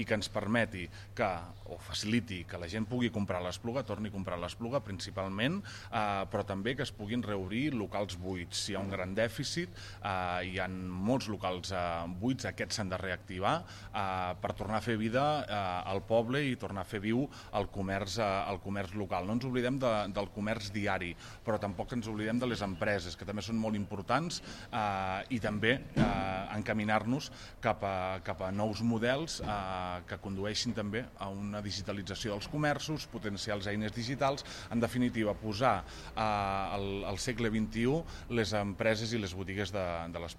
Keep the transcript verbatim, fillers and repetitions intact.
i que ens permeti que, o faciliti que la gent pugui comprar l'Espluga, torni a comprar l'Espluga principalment, eh, però també que es puguin reobrir locals buits. Si hi ha un gran dèficit, eh, hi ha molts locals eh, buits, aquests s'han de reactivar eh, per tornar a fer vida eh, al poble i tornar a fer viu el comerç, eh, el comerç local. No ens oblidem de, del comerç diari, però tampoc ens oblidem de les empreses, que també són molt importants, eh, i també eh, encaminar-nos cap a, cap a nous models eh, que condueixin també a una digitalització dels comerços, potenciar les eines digitals, en definitiva posar eh, al, al segle vint-i-u les empreses i les botigues de, de l'Espluga.